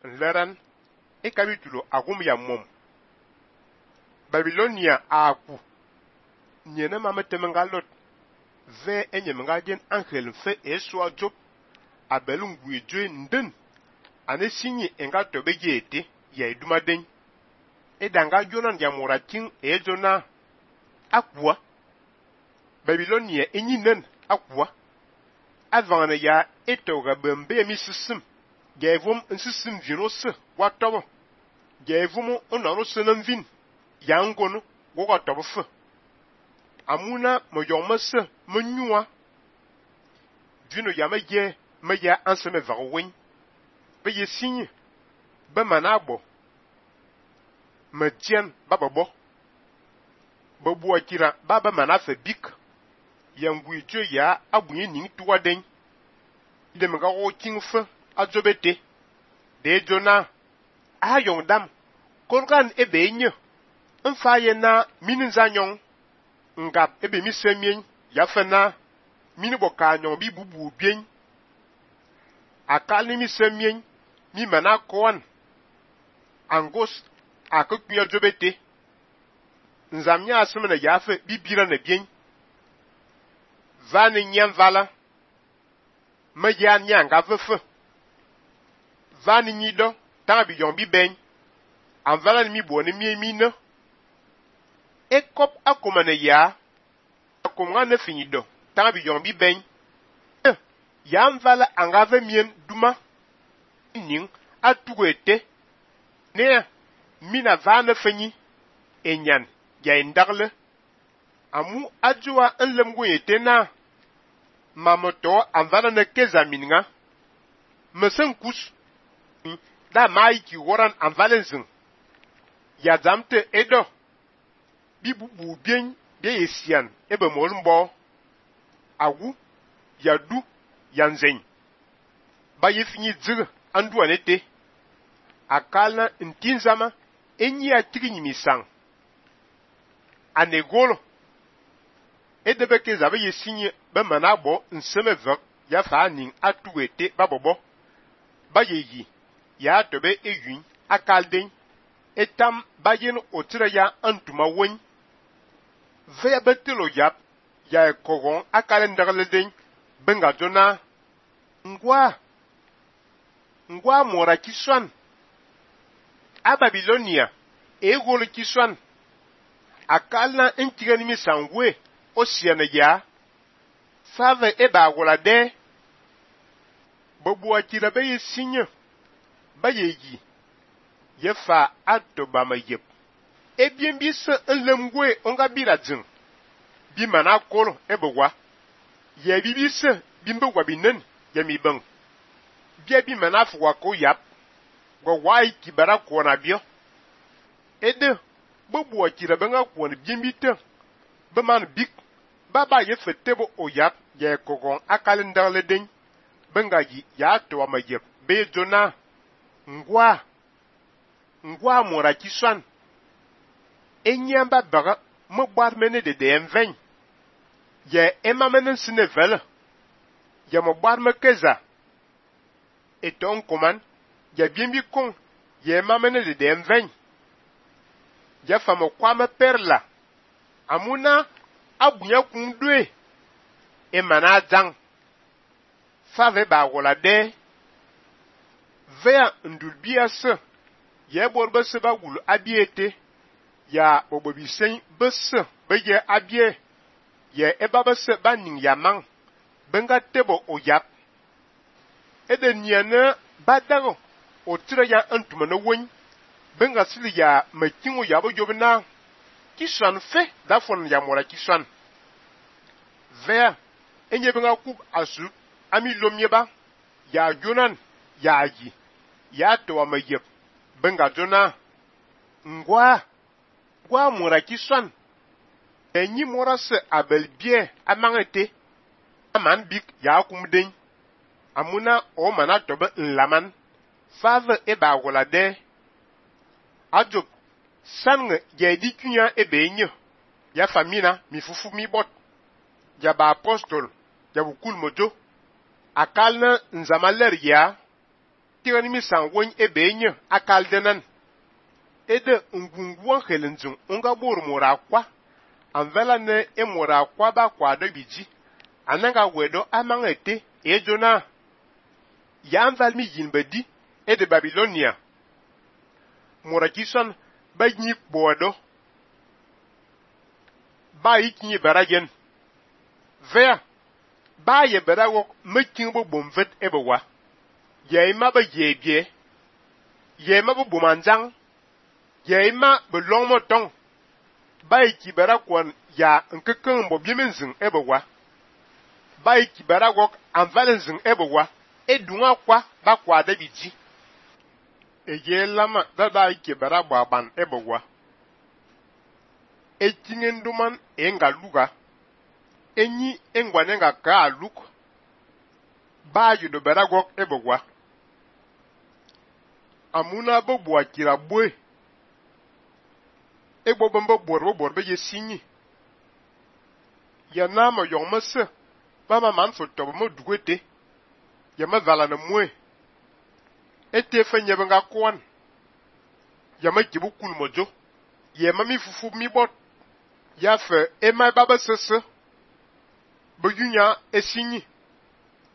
nleran e kapitulo agum ya mom. Babilonia aku nyene ma metemenga lot ve enyemenga gen angel fe eswa job abelungu ejwe nden ane sinyi enga tobe yete ya iduma den edanga jonan ya morakin ejona akwa Babilonia enyinen akwa avangana ya etoga bembe mi sisim gevum nsisim virose watobo gevum onaro senanvin yangono goga tobo fe amuna moyomase menyua vino ya meya anseme vawen be yesinye be manabo metien bababo bobu akira baba manafe bik yangui tue ya abunye ning tuwa den ide mga wo kingfe azobete de jona ayong dam kolgan ebe nye mfaye na minin zanyong ngap ebe mi semien ya fena mini boka nyong bi bubu bien akal ni mi semien mi mana koan angos akuknya jobete nzamnya asumena yafe bibira na bien vani nyam vala meya nyanga vefe vani nyido tabi yombi ben anvala ni mi boni mi ne ekop akomane ya akomga ne finido tabi yombi ben ya mvala angave mien duma ning atugete ne mina vane fenyi enyan ya indagle amu ajua enlemgo yetena mamoto anvala ne kezaminga mesenkus da maiki woran anvalenzin ya zamte edo bibubu bien de yesian ebe molmbo agu yadu yanzen ba yefini dzig andu anete akala ntinzama enyi atigi misang anegolo edebe ke zabe yesinye be manabo nseme vek ya fa ning atuete babobo ba yeyi ya tobe eyun akalden etam bayin otire ya antuma won ve betelo yap ya kogon akalen dagleden benga jona ngwa mora kiswan a Babilonia egolo kiswan akala ntigani mi sangwe osiana ya fave eba golade bobu akira be yesinye ba yeyi yefa atoba mayep ebien bi se enlemgwe onga biradin bi mana kolo ebogwa ye bibi se bimbe gwa binen yemi bang bia bi mana fwa ko yap go wai kibara ko na bio ede bobu akira benga ko ni bimbite be man bik baba ye fetebo oyap ye kogon akalin darle den benga yi ya to amayep be jona ngwa mora kiswan enyamba baga mo bar mene de enven ye emamene sinevel ye mo bar me keza eton koman ye biembi kon ye emamene de enven ye famo kwame perla amuna abunya kundwe emana zang fave ba wolade vea ndulbiase ye borbe se ba wulu abiete ya obobisen bese beye abie ye ebaba se ba ning yamang benga tebo oyap ede niane badago otire ya antuma no won benga sili ya makingo yabo jobna kiswan fe da fon ya mora kiswan vea enye benga kub asu ami lomyeba ya jonan ya yi ya to amayep benga jona ngwa mora kiswan enyi mora se abelbie amangete aman bik ya kumden amuna o mana tobe nlaman fave eba golade ajob sange ya dikunya ebe enye ya famina mi fufu mi bot ya ba apostol ya bukul mojo akalna nzamaler ya tigani mi san won ebenye akaldenan ede ngungwan helenjun unga bor mora kwa anvela ne emora kwa ba kwa de biji ananga wedo amangete ejona ya anval mi yinbedi ede Babilonia mora kison ba nyi bodo ba ikinyi baragen vea ba ye barago mekin bo bomvet ebewa ye ma ba yebie ye ma bo bomanjang ye ma bo longmo tong ba iki barakon ya nkeken bo biemenzin ebewa ba iki barago anvalenzin ebewa edunga kwa ba kwa de biji eye lama da ba iki barabo aban ebewa etingen duman enga luga enyi engwanenga ka aluk ba yudo barago ebewa amuna bo bua kira bwe egbo bombo bor be yesinyi ya na mo yomse ba ma man fo to mo dugete ya ma vala na mwe ete fenye benga kwan ya ma kibu kul mojo ya ma mi fufu mi bot ya fe e ma baba sese bo yunya esinyi